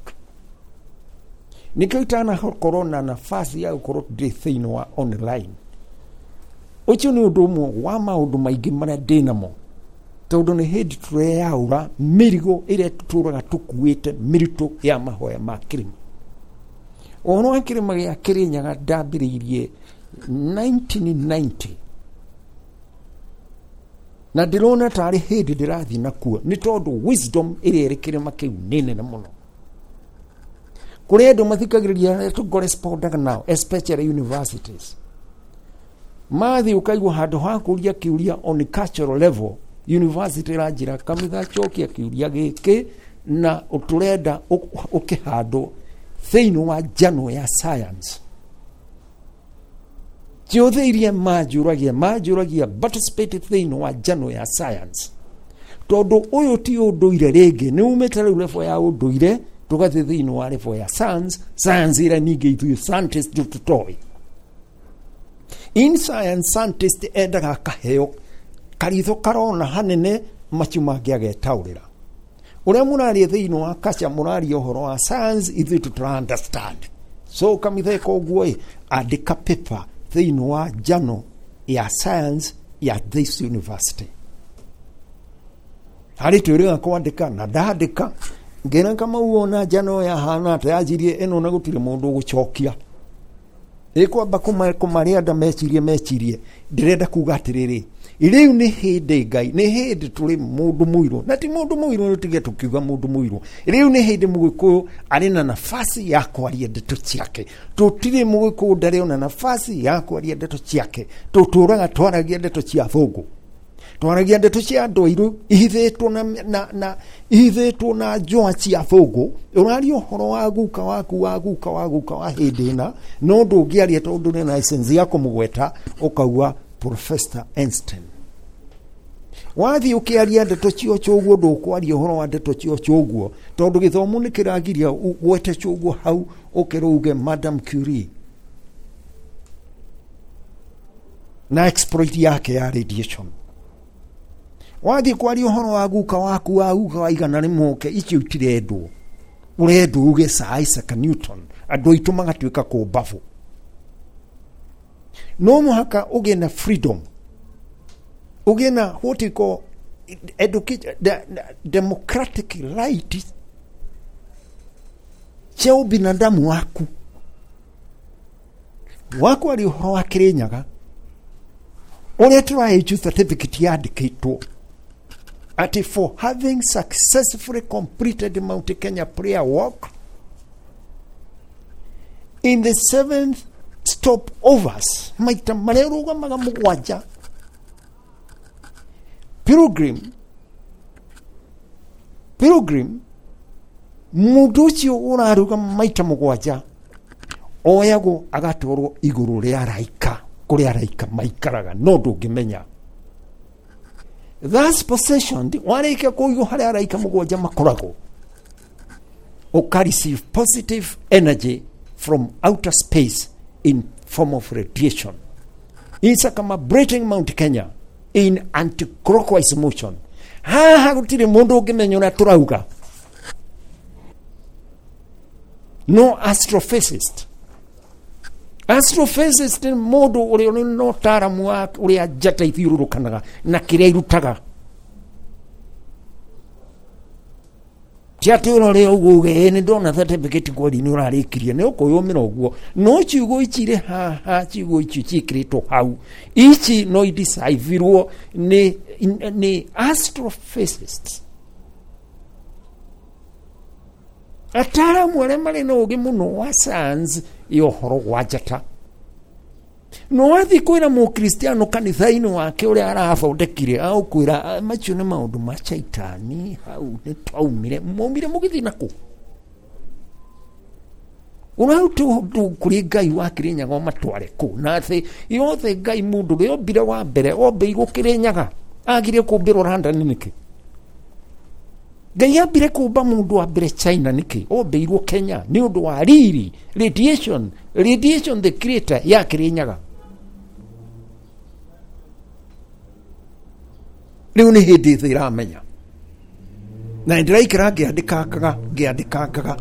Nĩkĩo itanakorwo na nafasi ya gũkorwo ndĩ thĩinĩ wa online. Ũcio nĩ ũndũ ũmwe wa maũndũ maingĩ marĩa ndĩ namo, tondũ nĩ hĩndĩ tũreyaũra mĩrigo ĩrĩa tũtũraga tũkuĩte mĩritũ ya mahoya ma kĩrĩma. Ũhoro wa kĩrĩma gĩa Kĩrĩnyaga ndambĩrĩirie 1990 na ndĩrona tarĩ hĩndĩ ndĩrathiĩ nakuo, nĩ tondũ wisdom ĩrĩa ĩrĩ kĩrĩma kĩu nĩ nene mũno. Kũrĩ andũ mathikagĩrĩria arĩa tũkorespondaga nao, especially universities. Mathiĩ ũkaigua handũ ha kũria kĩũria on cultural level, university ĩranjĩra kamitha cokia kĩũria gĩkĩ na tũrenda ũkĩhandwo thĩinĩ wa journal ya science. Ciothe iria manjũragia participate thĩinĩ wa journal ya science. Tondũ ũyũ ti ũndũire rĩngĩ, nĩ umĩte rĩu level ya ũndũire tũgathiĩ thĩinĩ wa level ya science, science ĩrĩa ningĩ ithuĩ scientist tũtoĩ. In science, scientist endaga akaheo karitho karona hanene macio mangĩ agetaũrĩra. Ũrĩa mũraria thĩinĩ wa kacha mũraria ũhoro wa science, ithuĩ tũtara understand. So kamitha ĩka ũguo ĩ, andĩka paper thĩinĩ wa journal ya science ya this university. Harĩ twĩrĩga kwandĩka na ndandĩka ngĩra Kamau ona journal yahana atĩa, yanjirie ĩno na gũtirĩ mũndũ ũgũcokia. Ĩkwamba kũmarĩa nda mecirie. Ndĩrenda kuga atĩrĩrĩ, rĩu nĩ hĩndĩ Ngai, nĩ hĩndĩ tũrĩ mũndũ mũirũ, na ti mũndũ mũirũ, tũtige tũkiuga mũndũ mũirũ. Rĩu nĩ hĩndĩ mũgĩkũyũ arĩ na nafasi ya kwaria ndeto ciake. Tũtirĩ mũgĩkũyũ ndarĩ ona nafasi ya kwaria ndeto ciake. Tũtũraga twaragia ndeto cia thũngũ, twaragia ndeto cia andũ airũ ihithĩtwo na ihithĩtwo na njoa cia thũngũ. Ũraria ũhoro wa guka waku wa guka wa guka wa hĩndĩ ĩna, no ndũngĩaria tondũ ndũrĩ na license ya kũmũgweta, ũkauga Professor Einstein. Wathiĩ ũkĩaria ndeto cio ũguo, ndũkwaria ũhoro wa ndeto cio ũguo, tondũ gĩthomo nĩ kĩragiria ũgwete ũguo hau ũkĩrwo uge Madam Curie na exploit yake ya radiation. Wathiĩ kwaria ũhoro wa guka waku wa guka wa 100 icio itirendwo, ũrendwo uge Sir Isaac Newton. Andũ aitũ magatuĩka kũmbabu. No mũhaka ũgĩe na freedom, ũgĩe na what you call education, democratic right cia ubinadamu waku. Wakwaria ũhoro wa Kĩrĩnyaga ũrĩa tũraheju certificate yandĩkĩtwo atĩ for having successfully completed Mount Kenya prayer walk in the 7th stopovers, maita marĩa ũrũgamaga mũgwanja, pilgrim mũndũ ũcio ũrarũgama maita mũgwanja oyagwo agatwarwo igũrũ rĩa araika, kũrĩa araika maikaraga, no ndũngĩmenya. Thus possession, warĩkia kũigwo harĩa araika mũgwanja makoragwo, ũka receive positive energy from outer space in form of radiation. It's circumambulating Mount Kenya in anti-clockwise motion. Haha gũtirĩ mũndũ ũngĩmenya ũrĩa tũrauga. No astrophysicist. Astrophysicist nĩ mũndũ ũrĩa ũrĩ na ũtaaramu wa ũrĩa njata ithiũrũrũkanaga na kĩrĩa irutaga. Ti atĩ ũrore ũguo uge ĩ nĩ ndona certificate kweri nĩ ũrarĩkirie, nĩ ũkwĩyũmĩra ũguo. No ciugo ici irĩ haha, ciugo icio ciĩkĩrĩtwo hau, ici no idecipherwo nĩ astrophysicists, ataaramu arĩa marĩ na ũgĩ mũno wa science ya ũhoro wa njata. No wathiĩ kwĩra mũkristiano kanitha-inĩ wake ũrĩa arathondekire, agũkwĩra macio nĩ maũndũ ma caitani, hau nĩ twaumire, mwaumire mũgĩthiĩ nakũ? Ũraruta ũndũ kũrĩ Ngai wa Kĩrĩnyaga ũmatware kũ? Na thĩ yothe Ngai mũndũ ũrĩa ombire wa mbere ombĩirwo Kĩrĩnyaga, agire kũmbĩrwo London nĩkĩ? Ngai ambire kũmba mũndũ wa mbere China nĩkĩ? Ombĩirwo Kenya nĩ ũndũ wa riri, radiation, radiation the creator ya Kĩrĩnyaga. Rĩu nĩ hĩndĩ thĩ ĩramenya. Na ndĩraikara ngĩandĩkangaga, ngĩandĩkangaga.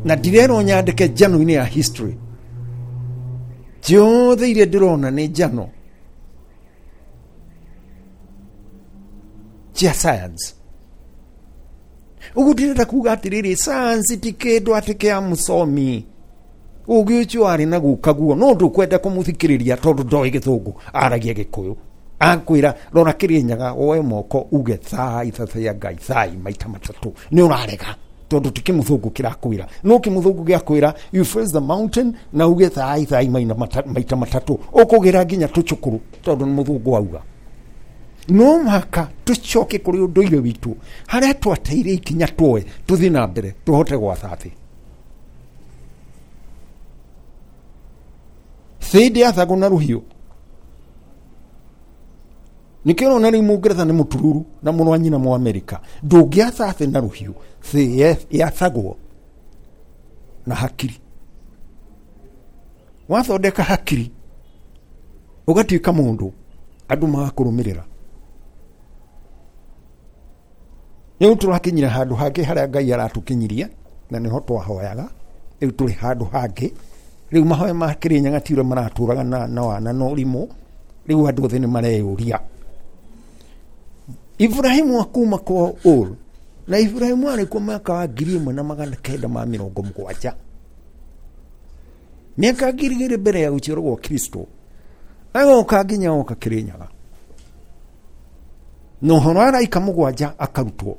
Na ndirerwo nyandĩke njano-inĩ ya history. Ciothe iria ndĩrona nĩ njano cia science. Ũguo ndĩrenda kuga atĩrĩrĩ, science ti kĩndũ atĩ kĩa mũcomi. Ũgĩ ũcio arĩ na guka guo, no ndũkwenda kũmũthikĩrĩria tondũ ndoĩ gĩthũngũ, aragia gĩkũyũ. Akwĩra rora Kĩrĩnyaga, woe moko uge thai thathaya Ngai thai maita matatũ, nĩ ũrarega tondũ ti kĩmũthũngũ kĩrakwĩra. No kĩmũthũngũ gĩakwĩra you face the mountain na uge thai thai maita matatũ, ũkũgĩra nginya tũcũkũrũ tondũ nĩ mũthũngũ auga. No mũhaka tũcoke kũrĩ ũndũire witũ harĩa twateire ikinya tuoe tũthiĩ na mbere tũhote gwatha thĩ. Thĩ ndĩathagwo na rũhiũ. Nĩkĩo ũrona rĩu Mũngeretha nĩ mũtururu na mũrũ wa nyina mũ Amerika. Ndũngĩatha thĩ na rũhiũ, thĩ yathagwo na hakiri. Wathondeka hakiri ũgatuĩka mũndũ, andũ magakũrũmĩrĩra. Rĩu tũrakinyire handũ hangĩ harĩa Ngai aratũkinyirie, na nĩho twahoyaga. Rĩu tũrĩ handũ hangĩ. Rĩu mahoya ma Kĩrĩnyaga ti ũrĩa maratũraga na wana na ũrimũ. Rĩu andũ othe nĩ mareyũria. Ibrahimu akuma kwa Ur, na Ibrahimu arĩ kuo mwaka wa 1970. Mĩaka 2000 mbere ya gũciarwo gwa Kristo. Agoka nginya oka Kĩrĩnyaga. Na ũhoro wa araika mũgwanja akarutwo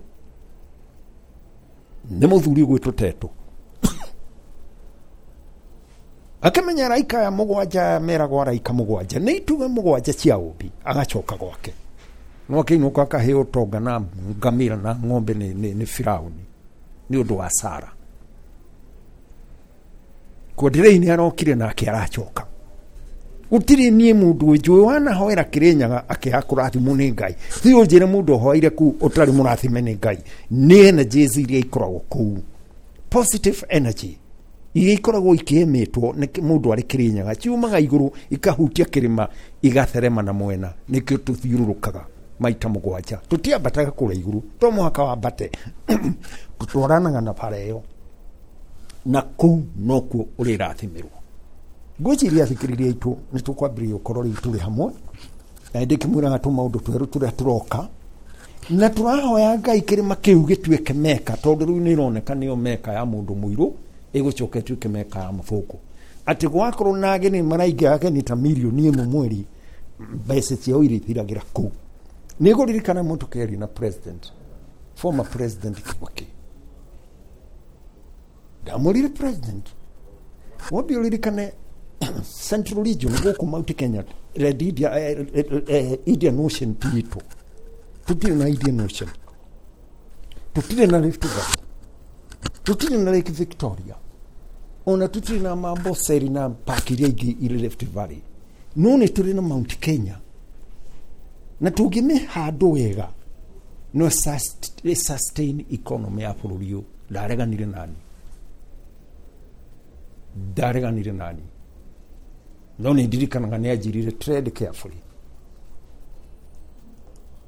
nĩ mũthuri ũgwĩtwo Teto. Akĩmenya araika aya mũgwanja aya meragwo araika mũgwanja nĩ itugĩ mũgwanja cia ũmbi, agacoka gwake. No akĩinũka akaheo ũtonga na ngamĩra na ng'ombe nĩ Firaũni nĩ ũndũ wa Sara. Kwandirei nĩ arokire nake aracoka. Gũtirĩ niĩ mũndũ njũĩ wanahoera Kĩrĩnyaga akĩaga kũrathimwo nĩ Ngai. Thiĩ ũnjĩre mũndũ ũhoeire kũu ũtarĩ mũrathime nĩ Ngai. Nĩ energies iria ikoragwo kũu, positive energy iria ikoragwo ikĩemĩtwo nĩ mũndũ arĩ Kĩrĩnyaga, ciumaga igũrũ ikahutia kĩrĩma igatherema na mwena. Nĩkĩo tũthiũrũrũkaga maita mũgwanja, tũtiambataga kũrĩa igũrũ, to mũhaka wambate, tũtwaranaga na bara ĩyo, na kũu nokuo ũrĩrathimĩrwo. Ngwĩciria athikĩrĩria aitũ nĩ tũkwambĩrĩria gũkorwo rĩu tũrĩ hamwe, na ndĩ kĩmwĩraga tũmaũndũ twerũ tũrĩa tũroka, na tũrahoya Ngai kĩrĩma kĩu gĩtuĩke meka, tondũ rĩu nĩ ĩroneka nĩyo meka ya mũndũ mũirũ, ĩgũcoka ĩtuĩke meka ya mũthũngũ. Atĩ gwakorwo na ageni maraingĩra ageni ta 1 million mweri, mbeca ciao irĩthiragĩra kũu. Nĩ ngũririkana mũndũ kĩaria na president, former president Kibaki. Ndamwĩrire president, wambe ũririkane Central Region gũkũ Mount Kenya, Red India, Indian Ocean ti itũ. Tũtirĩ na Indian Ocean, tũtirĩ na Rift Valley, tũtirĩ na Lake Victoria, ona tũtirĩ na Amboseli na park iria ingĩ irĩ Rift Valley, no nĩ tũrĩ na Mount Kenya, na tũngĩmĩhandũ wega no sustain economy ya bũrũri ũyũ. Ndareganire nani, ndareganire nani, no nĩ ndirikanaga nĩ anjĩrire tread carefully,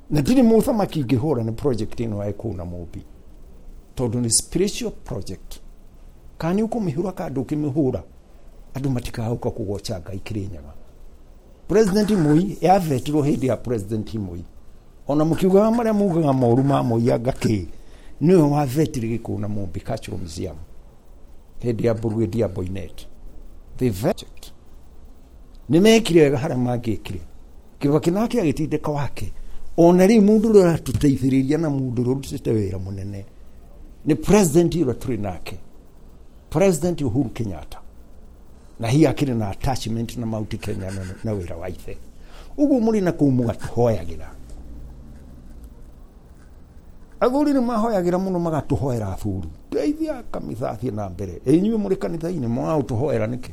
na ndirĩ mũthamaki ingĩhũra nĩ project ĩno ya kũu na Mũmbi, tondũ nĩ spiritual project. Kana nĩ ũkũmĩhũra kana ndũkĩmĩhũra, Andũ matikahũka kũgoca Ngai Kĩrĩnyaga. President Moi yavetirwo hĩndĩ ya President Moi, ona mũkiugaga marĩa mugaga moru ma Moi anga kĩ, nĩwe wavetire Gĩkũyũ na Mũmbi Cultural Museum hĩndĩ ya Brigadier Boynet. The vet nĩ mekire wega harĩa mangĩkire. Kibaki nake agĩtindĩka wake. Ona rĩu mũndũ ũrĩa ũratũteithĩrĩria na mũndũ ũrĩa ũrutĩte wĩra mũnene nĩ president ũrĩa tũrĩ nake, President Uhuru Kenyatta, na hihi akĩrĩ na attachment na Mount Kenya na wĩra wa ithe. Ũguo mũrĩ na kũu mũgatũhoyagĩra. Athuri nĩ mahoyagĩra mũno, magatũhoera athuri, teithia kanitha athiĩ na mbere. Ĩ inyuĩ mũrĩ kanitha-inĩ mũragũtũhoera nĩkĩ?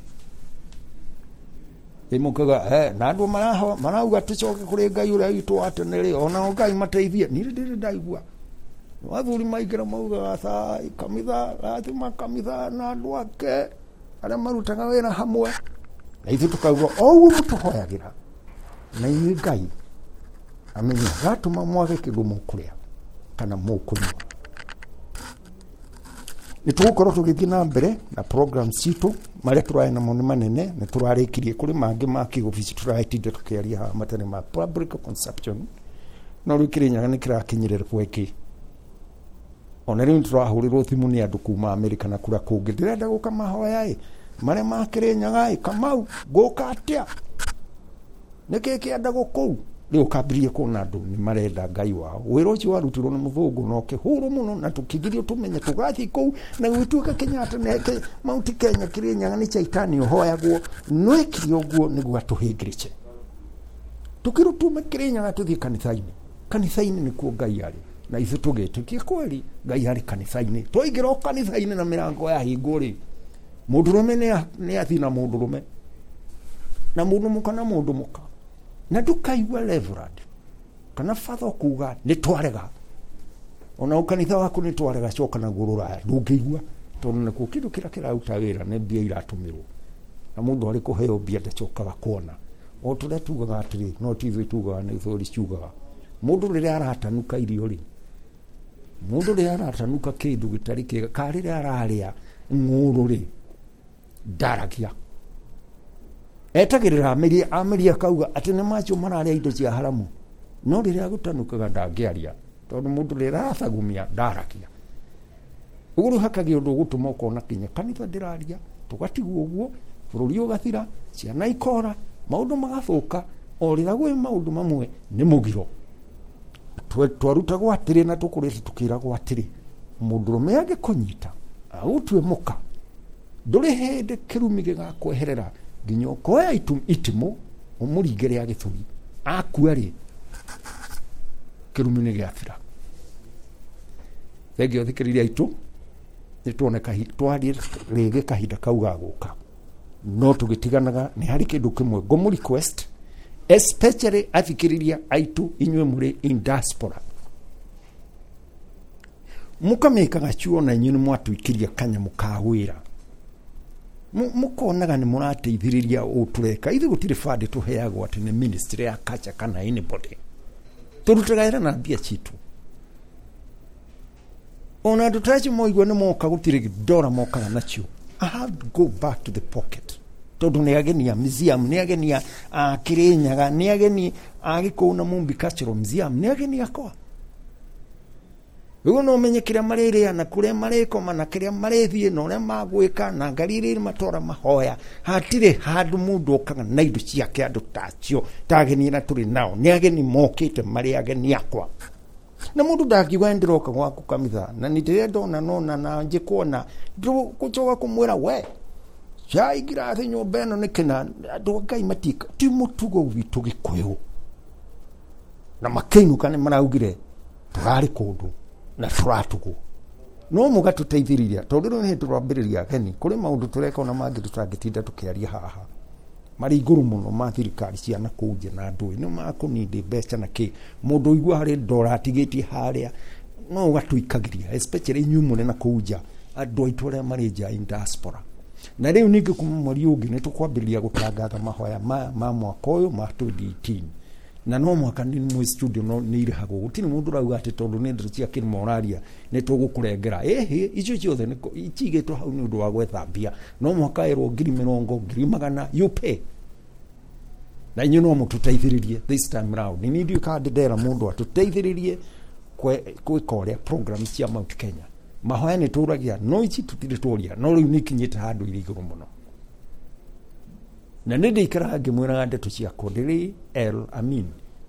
Ĩ mũkaga na andũ marauga tũcoke kũrĩ Ngai ũrĩa witũ wa tene rĩ, onao Ngai mateithie. Niĩ ndĩrĩ ndaigua athuri maingĩra maugaga thai kanitha, rathima kanitha na andũ ake arĩa marutaga wĩra hamwe, na ithuĩ tũkauga o ũguo mũtũhoyagĩra na inyuĩ Ngai amenye gatũma mwage kĩndũ mũkũrĩa kana mũkũnyua. Nĩ tũgũkorwo tũgĩthiĩ na mbere na program citũ, marĩa tũrarĩ namo nĩ manene, nĩ tũrarĩkirie. Kũrĩ mangĩ ma kĩobici tũratinda tũkĩaria haha matarĩ ma public consumption, no rĩu Kĩrĩnyaga nĩ kĩrakinyĩrĩra gwĩkĩ. Ona rĩu nĩ tũrahũrĩrwo thimũ nĩ andũ kuma Amerika na kũrĩa kũngĩ, ndĩrenda gũka mahoya ĩ marĩa ma Kĩrĩnyaga ĩ, Kamau ngũka atĩa, nĩkĩ kĩendagwo kũu? Rĩu ũkambĩrĩria kuona andũ nĩ marenda Ngai wao. Wĩra ũcio warutirwo nĩ mũthũngũ na ũkĩhũrwo mũno, na tũkĩgirio tũmenye tũgathiĩ kũu, na gũgĩtuĩka Kenyatta neke Mount Kenya Kĩrĩnyaga nĩ caitani ũhoyagwo. No ekire ũguo nĩguo atũhĩngĩrĩce, tũkĩrwo tume Kĩrĩnyaga tũthiĩ kanitha-inĩ. Kanitha-inĩ nĩkuo Ngai arĩ, na ithuĩ tũgĩtĩkia kweli Ngai arĩ kanitha-inĩ. Twaingĩra o kanitha-inĩ na mĩrango yahingwo rĩ, mũndũrũme nĩ athiĩ na mũndũrũme, na mũndũ mũka na mũndũ mũka, na ndũkaigua reverend kana father kuga nĩ twarega, ona kanitha waku nĩ twarega, coka naguo rũraya, ndũngĩigua, tondũ nakuo kĩndũ kĩrĩa kĩraruta wĩra nĩ mbia iratũmĩrwo, na mũndũ arĩ kũheo mbia ndacokaga kuona. O tũrĩa tugaga atĩrĩ, no ti ithuĩ tugaga, nĩ thori ciugaga, mũndũ rĩrĩa aratanuka irio rĩ, mũndũ rĩrĩa aratanuka kĩndũ gĩtarĩ kĩega, ka rĩrĩa ararĩa ng'ũrũ rĩ, ndaragia, etagĩrĩra amerie, amerie akauga atĩ nĩ macio mararĩa indo cia haramu, no rĩrĩa agũtanukaga ndangĩaria, tondũ mũndũ rĩrĩa arathagumia ndaragia. Ũguo rĩu hakagĩa ũndũ ũgũtũma ũkona kinya kanitha ndĩraria, tũgatigwo ũguo, bũrũri ũgathira, ciana ikora, maũndũ magathũka. O rĩrĩa gwĩ maũndũ mamwe nĩ mũgiro twarutagwo atĩrĩ, na tũkũrĩte tũkĩragwo atĩrĩ, mũndũrũme angĩkũnyita agũtue mũka, ndũrĩ hĩndĩ kĩrumi gĩgakweherera nginya ũkoya itimũ ũmũringĩre ya gĩthũri, akua rĩ, kĩrumi nĩ gĩathira. Thengio thikĩrĩria aitũ, nĩ tuone twarie rĩngĩ kahinda kau gagũka, no tũgĩtiganaga nĩ harĩ kĩndũ kĩmwe ngũmũ request, especially athikĩrĩria aitũ inyuĩ mũrĩ in diaspora, mũkamĩkaga cuo na inyuĩ nĩ mwatũikĩria kanyamũ ka wĩra, mũkonaga nĩ mũrateithĩrĩria ũũ tũreka. Ithuĩ gũtirĩ bandi tũheagwo atĩ nĩ ministry ya culture kana anybody, tũrutaga wĩra na mbia citũ. Ona andũ ta acio moigua nĩ moka, gũtirĩ ndora mokaga nacio. I have to go back to the pocket, tondũ nĩ ageni a museum, nĩ ageni a Kĩrĩnyaga, nĩ ageni a Gĩkũyũ na Mumbi Cultural Museum, nĩ ageni akwa. Rĩu no menye kĩrĩa marĩrĩa na kũrĩa marĩkoma na kĩrĩa marĩthiĩ na ũrĩa magwĩka na ngari iria matwara mahoya. Hatirĩ handũ mũndũ okaga na indo ciake. Andũ ta acio, ta ageni arĩa tũrĩ nao, nĩ ageni mokĩte marĩ ageni akwa, na mũndũ ndangiuga ndĩroka gwaku kanitha na nĩ ndĩrenda ona nona na njĩkuona ndũgũcoka kũmwĩra we cai ngirathi nyũmba ĩno nĩ kĩna. Andũ a Ngai matika, ti mũtugo witũ Gĩkũyũ. Na makĩinũka nĩ maraugire tũrarĩ kũndũ na tũratugwo, no mũgatũteithĩrĩria, tondũ rĩu nĩ tũrambĩrĩria ageni. Kũrĩ maũndũ tũreka ona mangĩ tũtangĩtinda tũkĩaria haha, marĩ igũrũ mũno ma thirikari cia na kũu nja na ndũĩ nĩ makũnindĩ mbeca na kĩ mũndũ ũigua harĩ ndora atigĩtie harĩa, no ũgatũikagĩria, especially inyuĩ mũrĩ na kũu nja, andũ aitũ arĩa marĩ nja in diaspora. Na rĩu ningĩ kuma mweri ũngĩ nĩ tũkwambĩrĩria gũtangatha mahoya maya ma mwaka ũyũ ma 2018. Na no mũhaka nĩ mwĩ studio no nĩ irĩhagwo. Gũtirĩ mũndũ ũrauga atĩ tondũ nĩ ndeto cia kĩrĩma ũraria nĩ tũgũkũrengera. Ĩhĩ, icio ciothe cigĩtwo hau nĩ ũndũ wa gwetha mbia. No mũhaka ĩrwo 20,000, 100,000, you pay. Na inyuĩ no mũtũteithĩrĩrie this time round. Nĩ ndiũĩ kana ndĩndera mũndũ atũteithĩrĩrie gwĩka ũrĩa program cia Mount Kenya. Mahoya nĩ tũragia, no ici tũtirĩ tworia, no rĩu nĩ ikinyĩte handũ irĩ igũrũ mũno. Na nĩ ndĩikaraga ngĩmwĩraga ndeto ciakwa ndĩrĩ El Amin,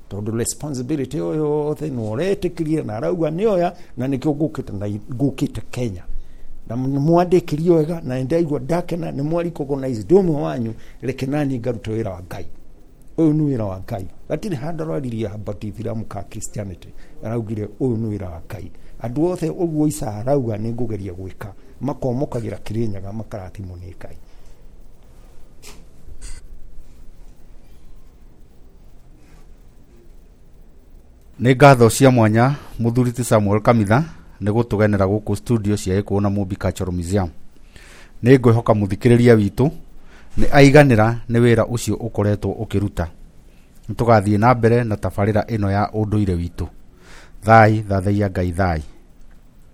tondũ responsibility ĩyo yothe nĩ ũretĩkĩria na arauga nĩoya, na nĩkĩo ngũkĩte na ngũkĩte Kenya. Na mwandĩkĩrie wega na nĩndaigua ndakena, nĩ mwa recognize ndĩ ũmwe wanyu, reke nani ngarute wĩra wa Ngai. Ũyũ nĩ wĩra wa Ngai. Gatirĩ handũ araririe about Ithiramu ka Christianity. Araugire ũyũ nĩ wĩra wa Ngai. Andũ othe ũguo Isa arauga nĩ ngũgeria gwĩka, makomokagĩra Kĩrĩnyaga makarathimwo nĩ Ngai. Nĩ ngatho cia mwanya mũthuri ti Samuel Kamitha nĩ gũtũgenera gũkũ studio cia Gĩkũyũ na Mũmbi Cultural Museum. Nĩ ngwĩhoka mũthikĩrĩria witũ nĩ aiganĩra nĩ wĩra ũcio ũkoretwo ũkĩruta. Nĩ tũgathiĩ na mbere na tabarĩra ĩno ya ũndũire witũ. Thai, thathaiya Ngai thai.